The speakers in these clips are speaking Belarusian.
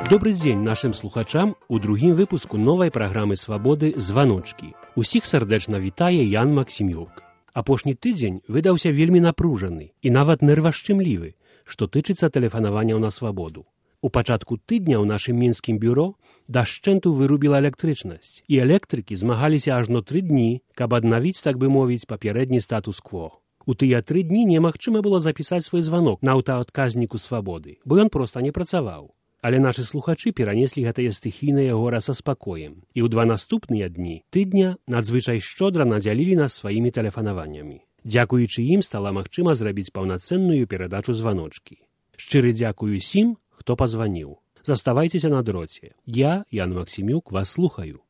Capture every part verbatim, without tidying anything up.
Добрый дзень нашим слухачам у другім выпуску новай праграмы «Свабоды» «Званочкі». Усіх сардэчна вітае Ян Максімюк. Апошні тыдзень выдаўся вельмі напружаны і нават нервашчымлівы, што тычыцца тэлефанаванняў на свабоду. У пачатку тыдня ў нашым мінскім бюро дашчэнту вырубіла электрычнасць, і электрыкі змагаліся ажно тры дні, каб аднавіць, так бы мовіць, папярэдні статус-кво. У тыя тры дні немагчыма было запісаць свой званок на аўтаадказніку свабоды, бо ён проста не працаваў. Але нашы слухачы перанеслі гэтае стыхійнае гора са спакоем, і ў два наступныя дні тыдня надзвычай шчодра надзялілі нас сваімі тэлефанаваннямі. Дзякуючы ім стала магчыма зрабіць паўнацэнную перадачу званочкі. Шчыры дзякую усім, хто пазваніў. Заставайцеся на дроце. Я, Ян Максімюк, вас слухаю.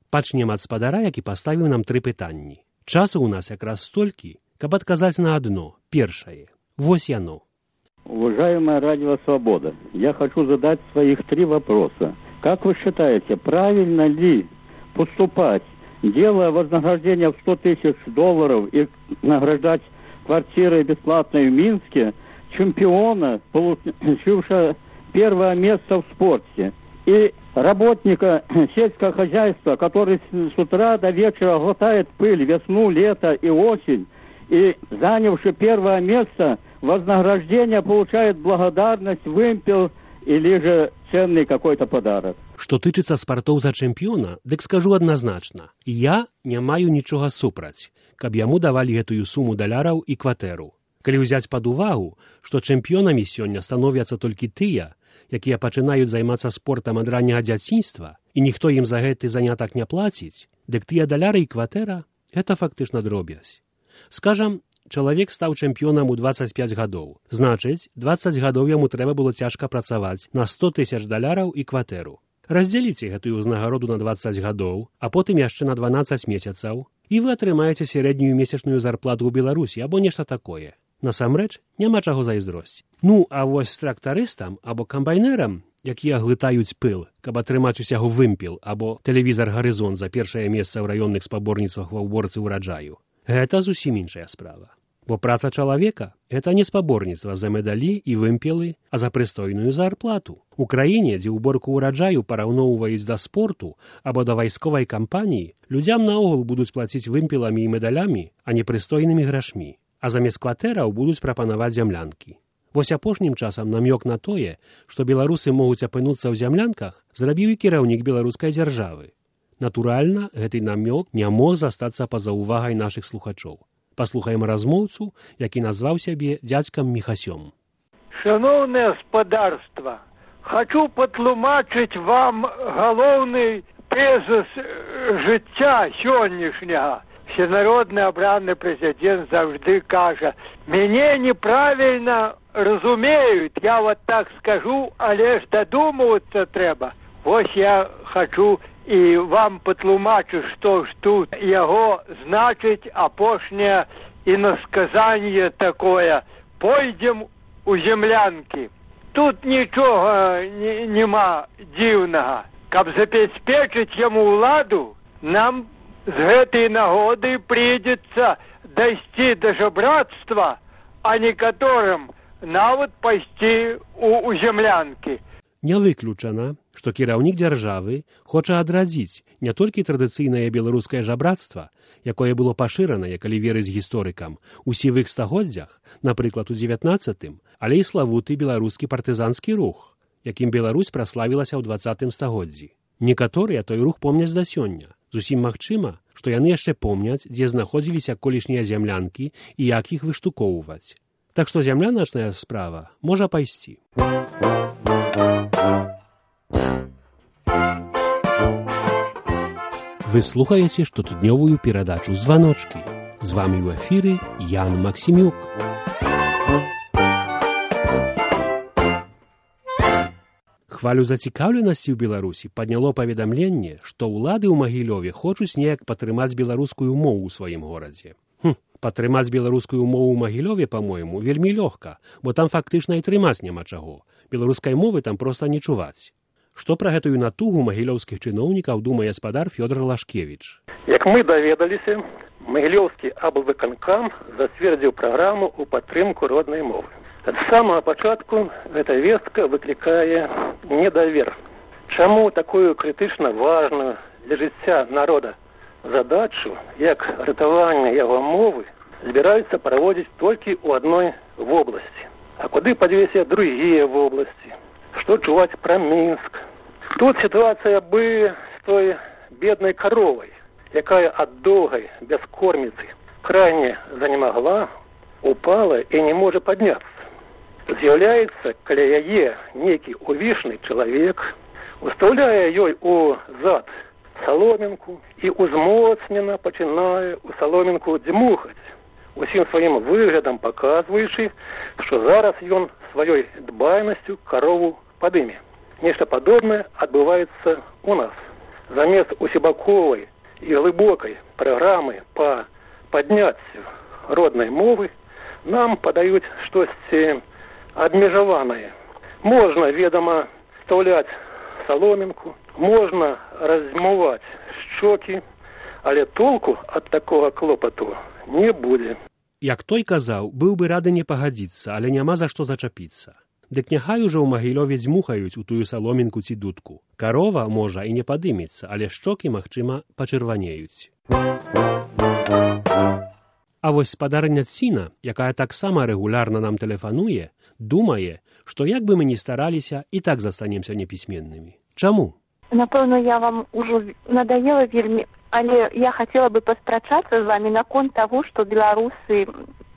Пачнем ад спадара, які паставіў нам тры пытанні. Часу ў нас якраз столькі, каб адказаць на адно, першае. Вось яно. Уважаемая Радио Свобода, я хочу задать своих три вопроса. Как вы считаете, правильно ли поступать, делая вознаграждение в сто тысяч долларов и награждать квартирой бесплатной в Минске чемпиона, получившего первое место в спорте, и работника сельского хозяйства, который с утра до вечера глотает пыль весну, лето и осень, и занявший первое место, вознаграждение получает благодарность, вымпел или же ценный какой-то подарок. Што тычыцца спартоў за чэмпіёна, дык скажу адназначна. Я не маю нічога супраць, каб яму давалі гэтую суму даляраў і кватэру. Калі ўзяць пад увагу, што чэмпіёнамі сёння становяцца толькі тыя, якія пачынаюць займацца спортам ад ранняга дзяцінства, і ніхто ім за гэты занятак не плаціць, дык тыя даляры і кватэра – гэта фактычна дробязь. Скажам, чалавек стаў чэмпіёнам у дваццаць пяць гадоў. Значыць, дваццаць гадоў яму трэба было цяжка працаваць на сто тысяч даляраў і кватэру. Раздзяліце гэтую ўзнагароду на дваццаць гадоў, а потым яшчэ на дванаццаць месяцаў, і вы атрымаеце сярэднюю месячную зарплату ў Беларусі або нешта такое. Насамрэч, няма чаго зайздросць. Ну, а вось з трактарыстам або камбайнерам, якія глытаюць пыл, каб атрымаць усяго вымпел або тэлевізар «Гарызон» за першае месца ў раённых спаборніцтвах ва ўборцы ўраджаю, гэта зусім іншая справа. Бо праца чалавека – гэта не спаборніцтва за медалі і вымпелы, а за прыстойную зарплату. У краіне, дзе ўборку ўраджаю параўноўваюць да спорту або да вайсковай кампаніі, людзям наогул будуць плаціць вымпеламі і медалямі, а не прыстойнымі грашмі. А замест кватэраў будуць прапанаваць зямлянкі. Вось апошнім часам намёк на тое, што беларусы могуць апынуцца ў зямлянках, зрабіў і кіраўнік беларускай дзяржавы. Натуральна, гэты намёк не мог застацца па-за ўвагай нашых слухачоў. Паслухаем размоўцу, які назваў сябе дзядзькам Міхасём. Шановне господарство, хочу патлумачыць вам галоўны тезіс жыцця сённяшняга. Всенародны абраны прэзідэнт заўжды кажа: «Мяне неправільна разумеюць, я вот так скажу, але ж дадумвацца трэба». Вось я хочу і вам патлумачу, што ж тут яго значыць апошняе інасказанне такое: «Пойдзем у землянкі». Тут нічога няма дзіўнага. Каб забяспечыць яму ўладу, нам з гэтай нагоды прыйдзецца дайсці да жабрацтва, а некаторым нават пайсці у, у землянкі. Не выключана, што кіраўнік дзяржавы хоча адрадзіць не толькі традыцыйнае беларускае жабрацтва, якое было пашыранае, калі верыць гісторыкам, у сівых стагоддзях, напрыклад, у дзевятнаццатым, але і славуты беларускі партызанскі рух, якім Беларусь праславілася ў дваццатым стагоддзі. Некаторыя той рух помняць да сёння. Зусім магчыма, што яны яшчэ помняць, дзе знаходзіліся колішнія зямлянкі і як іх выштукоўваць. Так што зямляначная справа можа пайсці. Вы слухаеце штотыднёвую перадачу «Званочкі». З вамі ў эфіры Ян Максімюк. Хвалю зацікаўленасці ў Беларусі падняло паведамленне, што ўлады ў Магілёве хочуць неяк падтрымаць беларускую мову ў сваім горадзе. Хм, падтрымаць беларускую мову ў Магілёве, па-мойму, вельмі лёгка, бо там фактычна і трымаць няма чаго. Беларускай мовы там проста не чуваць. Што пра гэтую натугу магілёўскіх чыноўнікаў думае спадар Фёдор Лашкевіч. Як мы даведаліся, Магілёўскі аблвыканкам зацвердзіў праграму ў падтрымку роднай мовы. Ад самага пачатку гэта вестка выклікае недавер. Чаму такую крытычна важную для жыцця народа задачу, як ратаванне яго мовы, збіраюцца праводзіць толькі ў адной вобласці? А куды падвесяць другія вобласці? Што чуваць пра Мінск? Тут сітуацыя бы з той беднай каровай, якая ад доўгай бяскорміцы крайне занемагла, упала і не можа падняцца. З'яўляецца каля яе нейкі увішны чалавек, устаўляе ёй у зад саломінку і узмоцнена пачынае у саломінку дзьмухаць, усім сваім выглядам паказваючы, што зараз ён сваёй дбайнасцю карову падыме. Нешта падобнае адбываецца у нас. Замест усебаковай і глыбокай праграмы па падняццю роднай мовы нам падаюць штосьці абмежаванае. Можна, ведама, стаўляць саломінку, можна размываць шчокі, але толку ад такога клопату не будзе. Як той казаў, быў бы рады не пагадзіцца, але няма за што зачапіцца. Дык няхай ужо ў Магілёве дзьмухаюць у тую саломінку ці дудку. Карова, можа, і не падымецца, але шчокі, магчыма, пачырванеюць. А вось спадарня Ціна, якая таксама рэгулярна нам тэлефануе, думае, што як бы мы ні стараліся, і так застанемся непісьменнымі. Чаму? Напэўна, я вам ужо надоела вельмі, але я хацела бы паспрачацца з вами наконт таго, што беларусы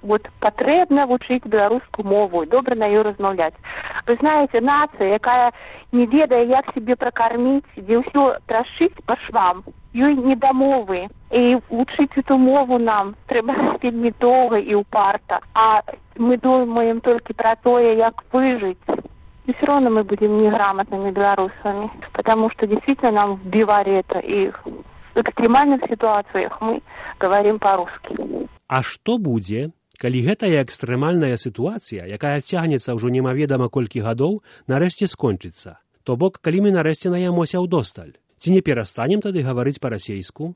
вот патрэбна вучыць беларускую мову, добра на ёй размаўляць. Вы знаеце, нацыя, якая не ведае, як себе пракарміць, дзе ўсё трашыць па швам, ёй не да мовы. І вучыць эту мову нам трэба вельмі доўга і ўпарта. А мы думаем толькі пра тое, як выжыць. И все равно мы будем неграмотными белорусами, потому что действительно нам вбивали это, и в экстремальных ситуациях мы говорим по-русски. А што будзе, калі гэтая экстрэмальная сітуацыя, якая цягнецца ўжо немаведама колькі гадоў, нарэшце скончыцца? То бок, калі мы нарэшце наямося ўдосталь? Ці не перастанем тады гаварыць па-расейску?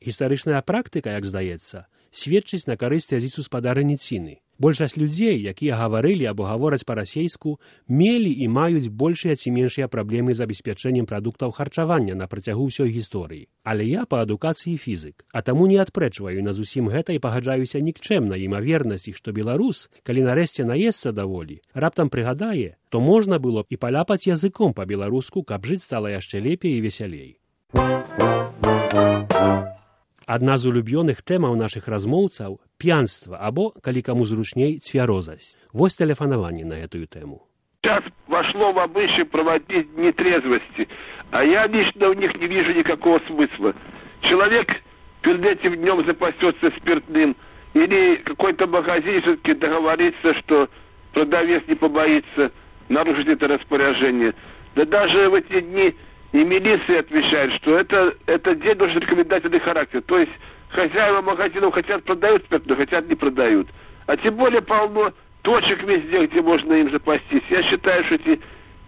Гістарычная практыка, як здаецца, сведчыць на карысць азіцу спадарыні Ціны. Большасць людзей, якія гаварылі або гавораць па-расейску, мелі і маюць большыя ці меншыя праблемы з забеспячэннем прадуктаў харчавання на працягу ўсёй гісторыі. Але я па адукацыі фізык, а таму не адпрэчваю на зусім гэта і пагаджаюся нікчэмна імавернасці, што беларус, калі нарэшце наесца даволі, раптам прыгадае, то можна было б і паляпаць языком па-беларуску, каб жыць стала яшчэ лепей і весялей. Адна з улюбёных тэмаў нашых размоўцаў – п'янства або, калі каму зручней, цвярозасць. Вось тэлефанаванне на эту тему. Сейчас вошло в обычай проводить дни трезвости, а я лично в них не вижу никакого смысла. Человек перед этим днем запасется спиртным, или какой-то магазин все-таки договорится, что продавец не побоится нарушить это распоряжение. Да даже в эти дни и милиция отвечает, что это, это день должен рекомендательный характер. То есть хозяева магазинов хотят продают спиртное, хотят не продают. А тем более полно точек везде, где можно им запастись. Я считаю, что эти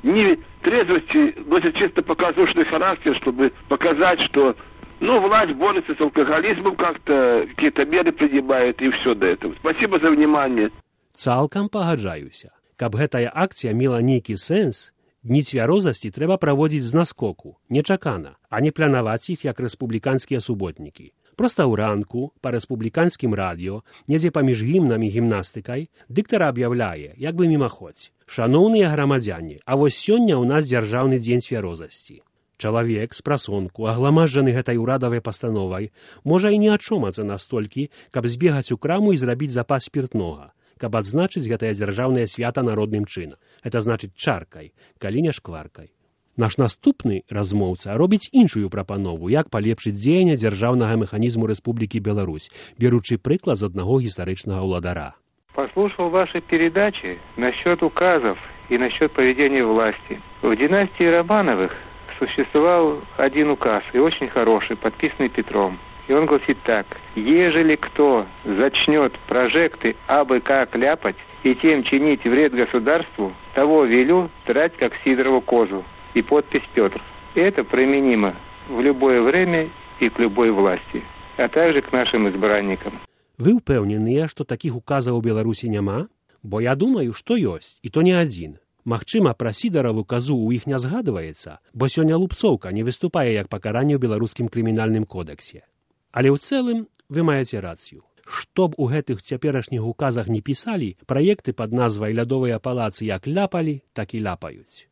дни трезвости носят чисто показушный характер, чтобы показать, что ну, власть борется с алкоголизмом как-то, какие-то меры принимает, и все до этого. Спасибо за внимание. Цалкам пагаджаюся. Каб гэтая акцыя мела нейкі сэнс, дні цвярозасці трэба праводзіць з наскоку, нечакана, а не планаваць іх, як рэспубліканскія суботнікі. Проста ўранку, па рэспубліканскім радыё, недзе паміж гімнам і гімнастыкай, дыктар аб'яўляе, як бы мімаходзь. Шаноўныя грамадзяне, а вось сёння ў нас дзяржаўны дзень цвярозасці. Чалавек з прасонку, агламажджаны гэтай урадавай пастановай, можа і не ачомацца настолькі, каб збегаць у краму і зрабіць запас спіртнога, каб адзначыць гэтае дзяржаўнае свята народным чынам. Это значыць чаркай, калі не шкваркай. Наш наступны размоўца робіць іншую прапанову, як палепшыць дзеянне дзяржаўнага механізму Рэспублікі Беларусь, беручы прыклад з аднаго гістарычнага ўладара. Послушал ваши передачи насчет указов и насчет поведения власти. В династии Романовых существовал один указ, и очень хороший, подписанный Петром. И он гласит так: «Ежели кто зачнет прожекты абы как ляпать и тем чинить вред государству, того велю драть, как Сидорову козу». и подпись «Петр». И это применимо в любое время и к любой власти, а также к нашим избранникам. Вы упэўненыя, што такіх указаў у Беларусі няма? Бо я думаю, што ёсць, і то не адзін. Магчыма, пра сідараву казу ў іх не згадваецца, бо сёння лупцоўка не выступае як пакаранне ў беларускім крымінальным кодексе. Але ў цэлым вы маеце рацыю. Што б у гэтых цяперашніх указах не пісалі, праекты пад назвай «Лядовыя палацы» як ляпалі, так і ляпаюць.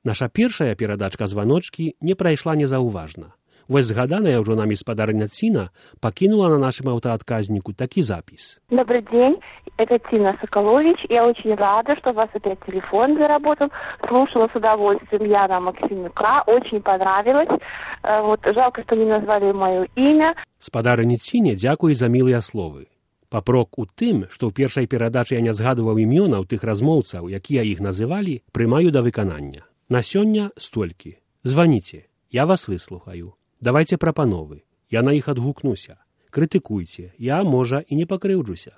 Наша першая перадачка званочкі не прайшла незаўважна. Вось згаданая ўжо нами спадарня Ціна пакінула на нашым аўтаадказніку такі запіс. Добрый день, это Тина Соколович. Я очень рада, что у вас опять телефон заработал. Слушала с удовольствием Яна Максимюка. Очень понравилось. Вот, жалко, что не назвали мое имя. Спадарні Ціне дзякуй за мілыя словы. Папрок у тым, што ў першай перадачы я не згадваў імёнаў тых размоўцаў, якія іх называлі, прымаю да выканання. На сёння столькі. Званіце, я вас выслухаю. Давайце прапановы. Я на іх адгукнуся. Крытыкуйце. Я, можа, і не пакрыўджуся.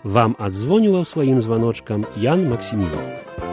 Вам адзвоніваў сваім званочкам Ян Максімюк.